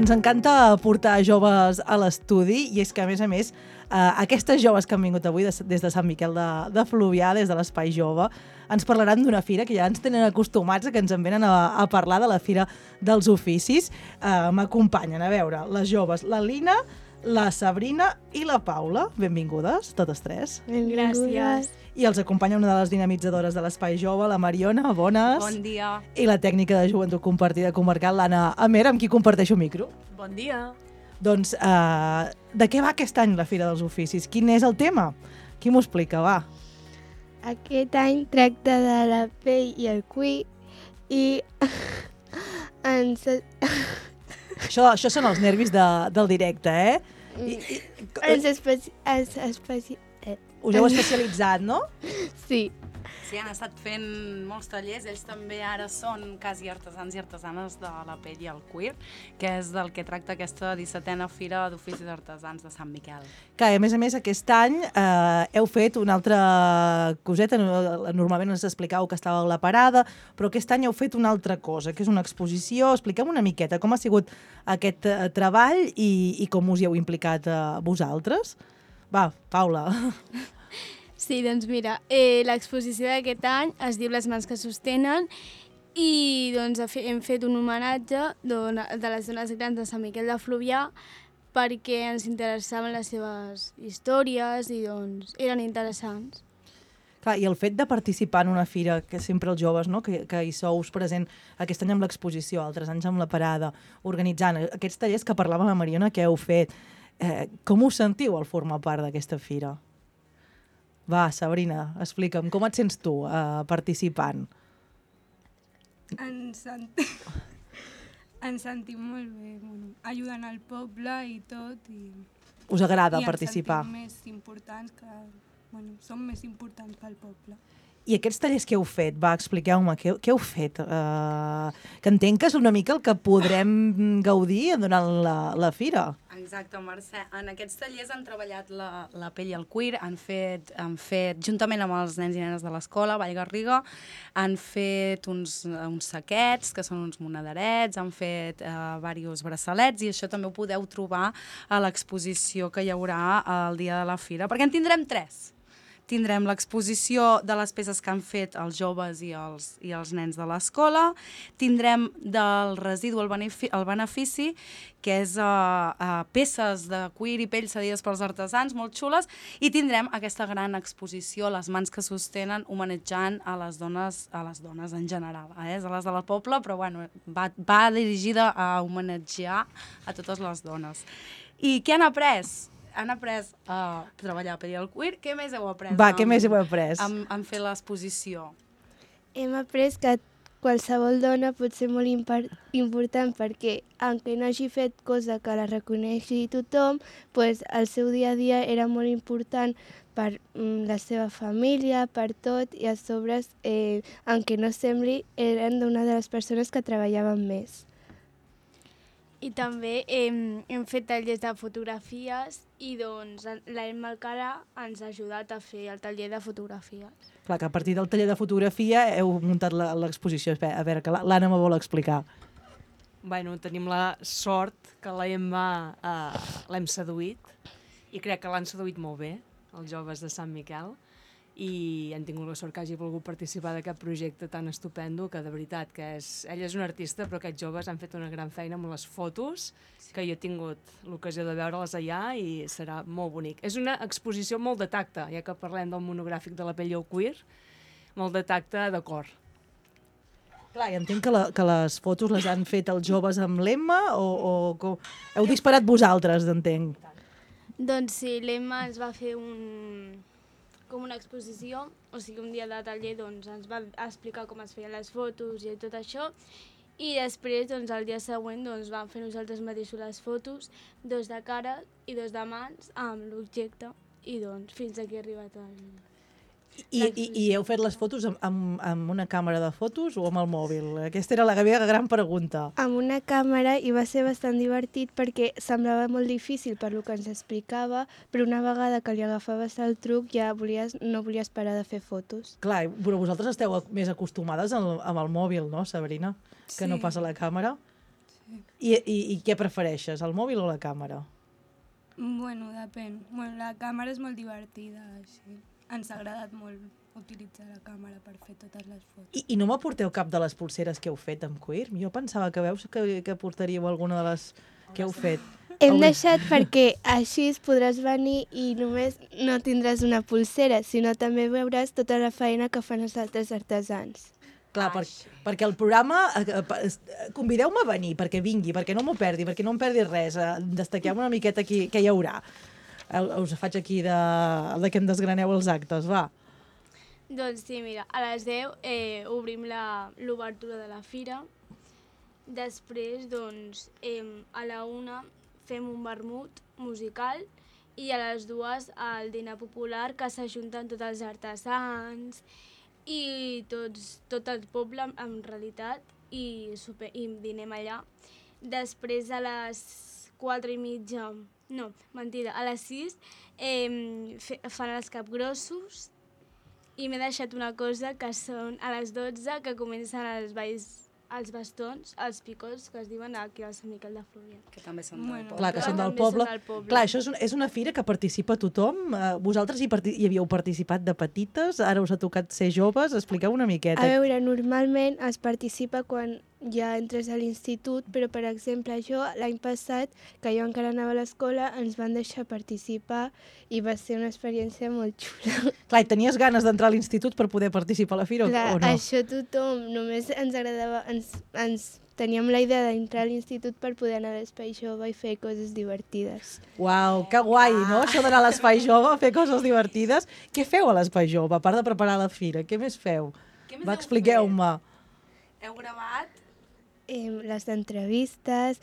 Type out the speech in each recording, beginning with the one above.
Ens encanta portar joves a l'estudi i és que, a més, aquestes joves que han vingut avui des de Sant Miquel de Fluvià, des de l'Espai Jove, ens parlaran d'una fira que ja ens tenen acostumats a que ens en venen a parlar de la Fira dels Oficis. M'acompanyen, a veure, les joves, la Lina, la Sabrina i la Paula. Benvingudes, totes tres. Gràcies. I els acompanya una de les dinamitzadores de l'Espai Jove, la Mariona, bones. Bon dia. I la tècnica de joventut compartida comarcal, l'Anna Amer, amb qui comparteixo micro. Bon dia. Doncs, de què va aquest any la Fira dels Oficis? Quin és el tema? Qui m'ho explica, va? Aquest any tracta de la pell i el cuir i Això són els nervis del directe, Us heu especialitzat, no? Sí. Sí, han estat fent molts tallers. Ells també ara són quasi artesans i artesanes de la pell i el cuir, que és del que tracta aquesta 17a Fira d'Oficis Artesans de Sant Miquel. Que, a més, aquest any heu fet una altra coseta. Normalment ens explicàveu que estàveu a la parada, però aquest any heu fet una altra cosa, que és una exposició. Expliqueu una miqueta com ha sigut aquest treball i com us hi heu implicat vosaltres. Va, Paula. Sí, doncs mira, l'exposició d'aquest any es diu Les mans que sostenen i doncs, hem fet un homenatge de les dones grans de Sant Miquel de Fluvià perquè ens interessaven les seves històries i doncs eren interessants. Clar, i el fet de participar en una fira, que sempre els joves, no? que hi sou present aquest any amb l'exposició, altres anys amb la parada, organitzant aquests tallers que parlava la Mariona que heu fet, com us sentiu al formar part d'aquesta fira? Va, Sabrina, explica'm, com et sents tu participant? Ens sentim molt bé, ajudant al poble i tot. Us agrada participar? I ens sentim més importants som més importants pel poble. I aquests tallers que heu fet, va, expliqueu-me, què heu fet? Que entenc que és una mica el que podrem gaudir durant la fira. Exacte, Mercè. En aquests tallers han treballat la pell i el cuir, han fet, juntament amb els nens i nenes de l'escola, Vallgarriga, han fet uns saquets, que són uns monedarets, han fet diversos braçalets, i això també ho podeu trobar a l'exposició que hi haurà el dia de la fira, perquè en tindrem 3. Tindrem l'exposició de les peces que han fet els joves i els nens de l'escola, tindrem del residu al benefici, que és peces de cuir i pell cedides pels artesans, molt xules, i tindrem aquesta gran exposició, Les mans que sostenen, homenatjant a les dones en general, a les del poble, però bueno, va dirigida a homenatjar a totes les dones. I què han après? Han après a treballar a pell i el cuir. Què més heu après? Va, què més heu après? En fer l'exposició. Hem après que qualsevol dona pot ser molt important perquè, aunque no hagi fet cosa que la reconeixi tothom, pues, el seu dia a dia era molt important per la seva família, per tot, i a sobre, aunque no sembli, eren una de les persones que treballaven més. I també hem fet tallers de fotografies i doncs l'Emma Alcara ens ha ajudat a fer el taller de fotografia. Clar, que a partir del taller de fotografia heu muntat l'exposició. A veure, que l'Anna me vol explicar. Bueno, tenim la sort que l'Emma l'hem seduït i crec que l'han seduït molt bé, els joves de Sant Miquel, i han tingut la sort que hagi volgut participar d'aquest projecte tan estupendo, que de veritat que ella és una artista, però aquests joves han fet una gran feina amb les fotos, que jo he tingut l'ocasió de veure-les allà i serà molt bonic. És una exposició molt de tacte, ja que parlem del monogràfic de la pell i el cuir, molt de tacte de cor. Clar, i entenc que les fotos les han fet els joves amb l'Emma o heu disparat vosaltres, entenc? Doncs sí, l'Emma ens va fer com una exposició, o sigui, un dia de taller doncs, ens va explicar com es feien les fotos i tot això, i després, doncs, el dia següent, doncs, vam fer nosaltres mateixos les fotos, 2 de cara i 2 de mans, amb l'objecte, i doncs, fins aquí ha arribat el... I heu fet les fotos amb una càmera de fotos o amb el mòbil? Aquesta era la meva gran pregunta. Amb una càmera, i va ser bastant divertit perquè semblava molt difícil per lo que ens explicava, però una vegada que li agafaves el truc ja no volies parar de fer fotos. Clar, però vosaltres esteu més acostumades amb el mòbil, no, Sabrina? Que no pas a la càmera? Sí. I què prefereixes, el mòbil o la càmera? Bueno, depèn. Bueno, la càmera és molt divertida, així. Ens ha agradat molt utilitzar la càmera per fer totes les fotos. I no m'aporteu cap de les pulseres que heu fet amb cuir? Jo pensava que veus que portaríeu alguna de les que heu fet. Hem deixat perquè així podràs venir i només no tindràs una pulsera, sinó també veuràs tota la feina que fan els altres artesans. Clar, perquè el programa... Convideu-me a venir, perquè vingui, perquè no m'ho perdi, perquè no em perdi res. Destaqueu una miqueta aquí, què hi haurà. Us faig aquí de que em desgraneu els actes, va. Doncs sí, mira, a les 10 obrim l'obertura de la fira. Després, doncs, a la 1 fem un vermut musical i a les 2 el dinar popular, que s'ajunten tots els artesans i tot el poble, en realitat, i dinem allà. Després, a les 4:30, no, mentida, a les 6 fan els capgrossos. I m'he deixat una cosa, que són a les 12, que comencen els balls, els bastons, els picots, que es diuen aquí al Sant Miquel de Fluvià. Que també són del poble. Clar, que són del També poble. són del poble. Clar, això és una fira que participa tothom. Vosaltres hi havíeu participat de petites, ara us ha tocat ser joves. Expliqueu una miqueta. A veure, normalment es participa quan ja entres a l'institut, però, per exemple, jo l'any passat, que jo encara anava a l'escola, ens van deixar participar i va ser una experiència molt xula. Clar, i tenies ganes d'entrar a l'institut per poder participar a la fira Clar, o no? això tothom, només ens agradava, teníem la idea d'entrar a l'institut per poder anar a l'Espai Jove i fer coses divertides. Uau, que guai, no? Això d'anar a l'Espai Jove, fer coses divertides. Què feu a l'Espai Jove, a part de preparar la fira? Què més feu? Què més Va, heu expliqueu-me. Heu gravat? Les entrevistes.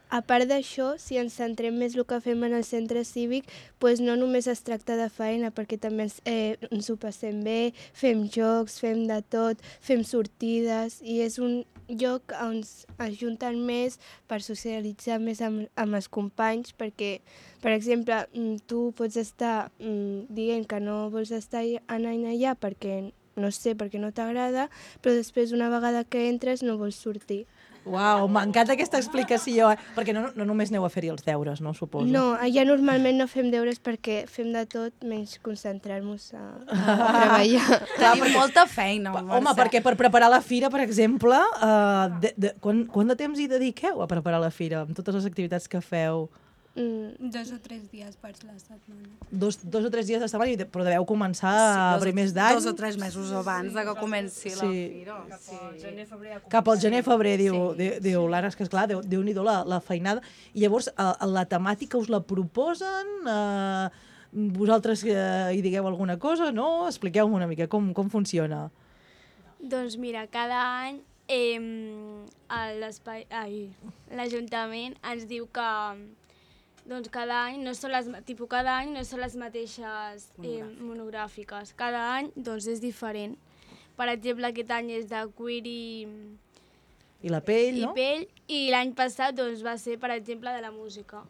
A part d'això, si ens centrem més el que fem en el centre cívic, doncs no només es tracta de feina, perquè també ens ho passem bé, fem jocs, fem de tot, fem sortides, i és un lloc on es junten més per socialitzar més amb els companys, perquè, per exemple, tu pots estar dient que no vols estar anant allà perquè no sé, perquè no t'agrada, però després, una vegada que entres, no vols sortir. Uau, m'encanta aquesta explicació, perquè no només aneu a fer-hi els deures, no, suposo? No, allà normalment no fem deures perquè fem de tot menys concentrar-nos a treballar. Tenim molta feina, Home, perquè per preparar la fira, per exemple, quant de temps hi dediqueu a preparar la fira, amb totes les activitats que feu? 2 o 3 dies per la setmana. Dos o tres dies de setmana, però deveu començar a primers d'any. 2 o 3 mesos abans de que comenci la fira. Cap al gener-febrer, diu l'Anna, és que esclar, Déu-n'hi-do la feinada. I llavors, la temàtica us la proposen? Vosaltres hi digueu alguna cosa, no? Expliqueu-me una mica com funciona. Doncs mira, cada any l'Ajuntament ens diu que cada any no són les mateixes monogràfiques. Cada any és diferent. Per exemple, aquest any és de cuir I la pell, no? I l'any passat va ser, per exemple, de la música.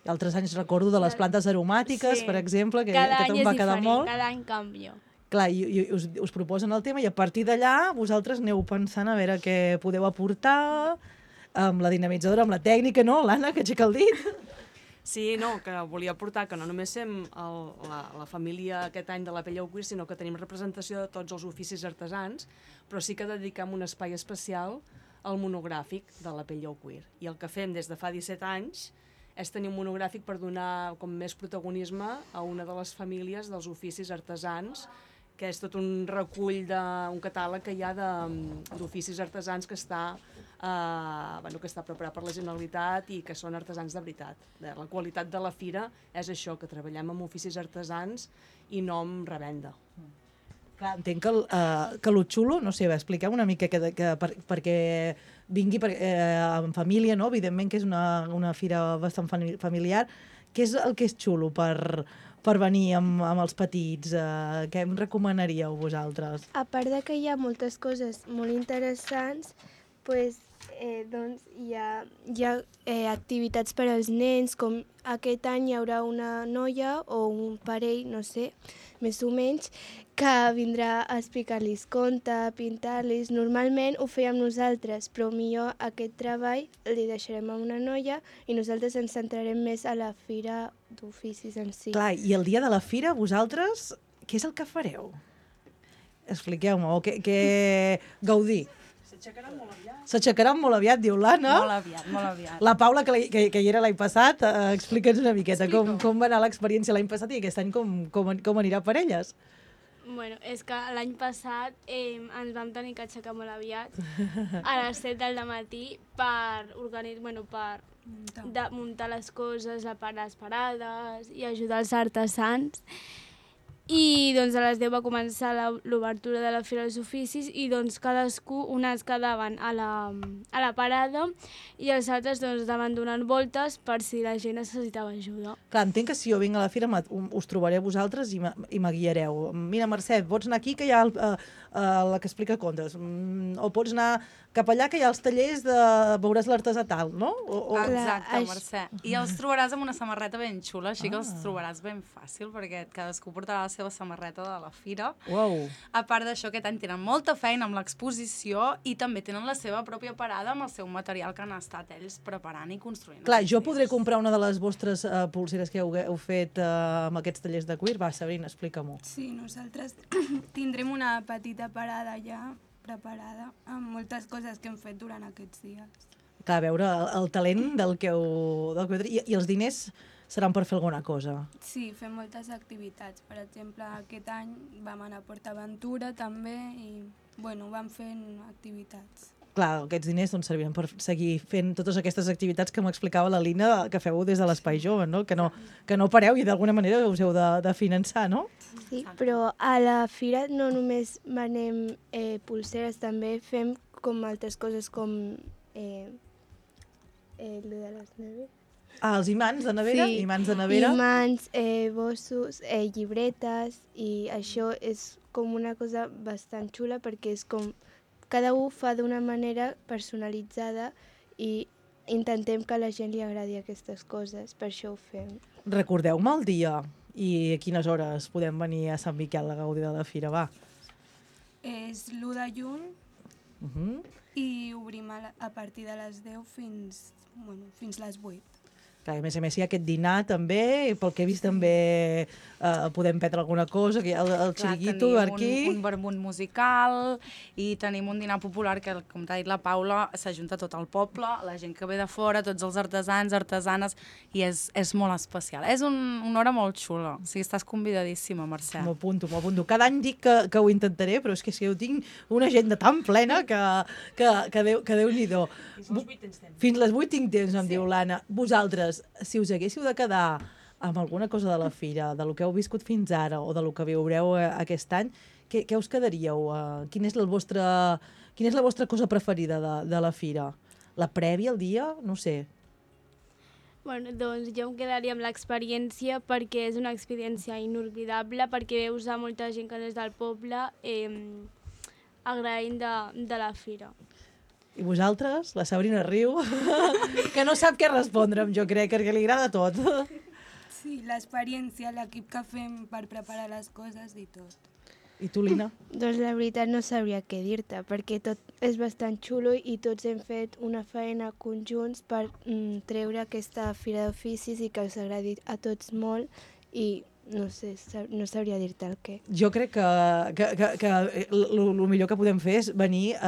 I altres anys recordo de les plantes aromàtiques, per exemple, que aquest va quedar molt. Cada any canvia. Clar, i us proposen el tema i a partir d'allà vosaltres aneu pensant a veure què podeu aportar amb la dinamitzadora, amb la tècnica, no, l'Anna, que aixeca el dit? Sí, no, que volia aportar que no només som la família aquest any de la pell al cuir, sinó que tenim representació de tots els oficis artesans, però sí que dediquem un espai especial al monogràfic de la pell al cuir. I el que fem des de fa 17 anys és tenir un monogràfic per donar com més protagonisme a una de les famílies dels oficis artesans, que és tot un recull, un catàleg que hi ha d'oficis artesans que està preparat per la Generalitat i que són artesans de veritat. La qualitat de la fira és això, que treballem amb oficis artesans i no amb revenda. Clar, entenc que lo xulo, no sé, expliqueu una mica perquè vingui en família, no? Evidentment que és una fira bastant familiar. Què és el que és xulo per venir amb els petits? Què em recomanaríeu vosaltres? A part de que hi ha moltes coses molt interessants, pues, doncs hi ha activitats per als nens, com aquest any hi haurà una noia o un parell, no sé, més o menys, que vindrà a explicar-los contes, pintar-los. Normalment ho fèiem nosaltres, però millor aquest treball li deixarem a una noia i nosaltres ens centrarem més a la fira d'oficis en si. Clar, i el dia de la fira, vosaltres, què és el que fareu? Expliqueu-me, o què gaudir? S'aixecaran molt aviat, diu l'Anna. Molt aviat, molt aviat. La Paula, que hi era l'any passat, explica'ns una miqueta com va anar l'experiència l'any passat i aquest any com anirà per elles. Bueno, és que l'any passat ens vam tenir que aixecar molt aviat, a les 7 del matí, per muntar les coses, les parades i ajudar els artesans. I doncs a les 10 va començar l'obertura de la Fira dels Oficis i doncs cadascú, unes quedaven a la parada i els altres doncs anaven donant voltes per si la gent necessitava ajuda. Clar, entenc que si jo vinc a la fira us trobaré a vosaltres i me guiareu. Mira, Mercè, pots anar aquí que hi ha la que explica contes. O pots anar cap allà que hi ha els tallers de... veuràs l'artesà tal, no? Exacte, Mercè. I els trobaràs amb una samarreta ben xula, així que els trobaràs ben fàcil, perquè cadascú portarà la seva samarreta de la fira. Uau. A part d'això, aquest any tenen molta feina amb l'exposició i també tenen la seva pròpia parada amb el seu material que han estat ells preparant i construint. Clar, jo podré comprar una de les vostres pulseres que heu fet amb aquests tallers de cuir? Va, Sabrina, explica-m'ho. Sí, nosaltres tindrem una petita parada ja preparada amb moltes coses que hem fet durant aquests dies. Clar, a veure el talent del que heu tret. I els diners seran per fer alguna cosa? Sí, fem moltes activitats. Per exemple, aquest any vam anar a PortAventura també i, bueno, vam fent activitats. Clar, aquests diners doncs, serviran per seguir fent totes aquestes activitats que m'explicava la Lina que feu des de l'Espai Jove, no? Que no pareu i d'alguna manera us heu de finançar, no? Sí, però a la fira no només venem pulseres, també fem com altres coses com el de les neveres. Ah, els imants de nevera? Sí, imants de nevera? Imants, bossos, llibretes, i això és com una cosa bastant xula perquè és com cada un fa d'una manera personalitzada i intentem que a la gent li agradi aquestes coses, per això ho fem. Recordeu-me el dia i a quines hores podem venir a Sant Miquel a gaudir de la fira, va. És l'1 de juny i obrim a partir de les 10 fins les 8. Clar, a més hi ha aquest dinar també, i pel que he vist també podem prendre alguna cosa, que hi ha el xiringuito per aquí. Tenim un vermut musical i tenim un dinar popular que, com t'ha dit la Paula, s'ajunta tot el poble, la gent que ve de fora, tots els artesans, artesanes, i és molt especial. És una hora molt xula, o sigui, estàs convidadíssima, Mercè. M'ho apunto. Cada any dic que ho intentaré, però és que jo tinc una agenda tan plena que Déu-n'hi-do. Fins les 8 tinc temps, em diu l'Anna. Vosaltres, si us haguéssiu de quedar amb alguna cosa de la fira, de lo que heu viscut fins ara o de lo que viureu aquest any, què us quedaríeu? Quina és la vostra cosa preferida de la fira? La prèvia, el dia? No sé. Bueno, doncs jo em quedaria amb l'experiència perquè és una experiència inolvidable, perquè veus a molta gent que no és del poble agraint de la fira. I vosaltres? La Sabrina riu, que no sap què respondre'm, jo crec, perquè li agrada tot. Sí, l'experiència, l'equip que fem per preparar les coses i tot. I tu, Lina? Doncs la veritat no sabria què dir-te, perquè tot és bastant xulo i tots hem fet una feina conjunts per treure aquesta fira d'oficis i que els agradi a tots molt i no sé, no sabria dir-te el què. Jo crec que el millor que podem fer és venir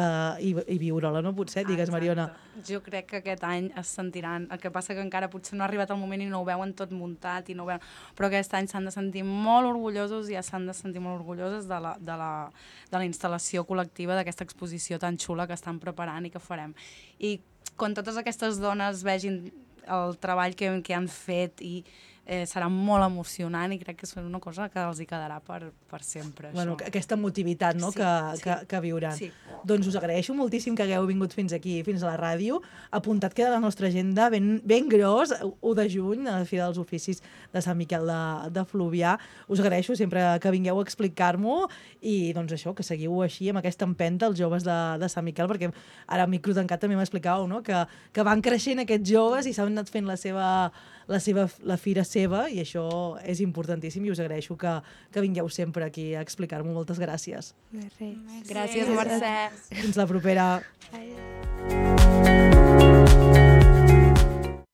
i viure-la, no? Potser, digues, Mariona. Jo crec que aquest any es sentiran, el que passa que encara potser no ha arribat el moment i no ho veuen tot muntat, però aquest any s'han de sentir molt orgullosos i ja s'han de sentir molt orgulloses de la instal·lació col·lectiva d'aquesta exposició tan xula que estan preparant i que farem. I quan totes aquestes dones vegin el treball que han fet i serà molt emocionant i crec que és una cosa que els hi quedarà per sempre, Bueno, això. aquesta motivitat, no?, Sí, que viuran. Sí. Doncs us agraeixo moltíssim que hagueu vingut fins aquí, fins a la ràdio. Apuntat queda la nostra agenda ben gros, 1 de juny, a la Fira dels Oficis de Sant Miquel de Fluvià. Us agraeixo sempre que vingueu a explicar-m'ho i, doncs, això, que seguiu així amb aquesta empenta els joves de Sant Miquel, perquè ara a micro tancat també m'explicàveu, no?, que van creixent aquests joves i s'han anat fent la fira seva, i això és importantíssim i us agraeixo que vingueu sempre aquí a explicar-m'ho. Moltes gràcies. De res. Gràcies, Mercè. Fins la propera.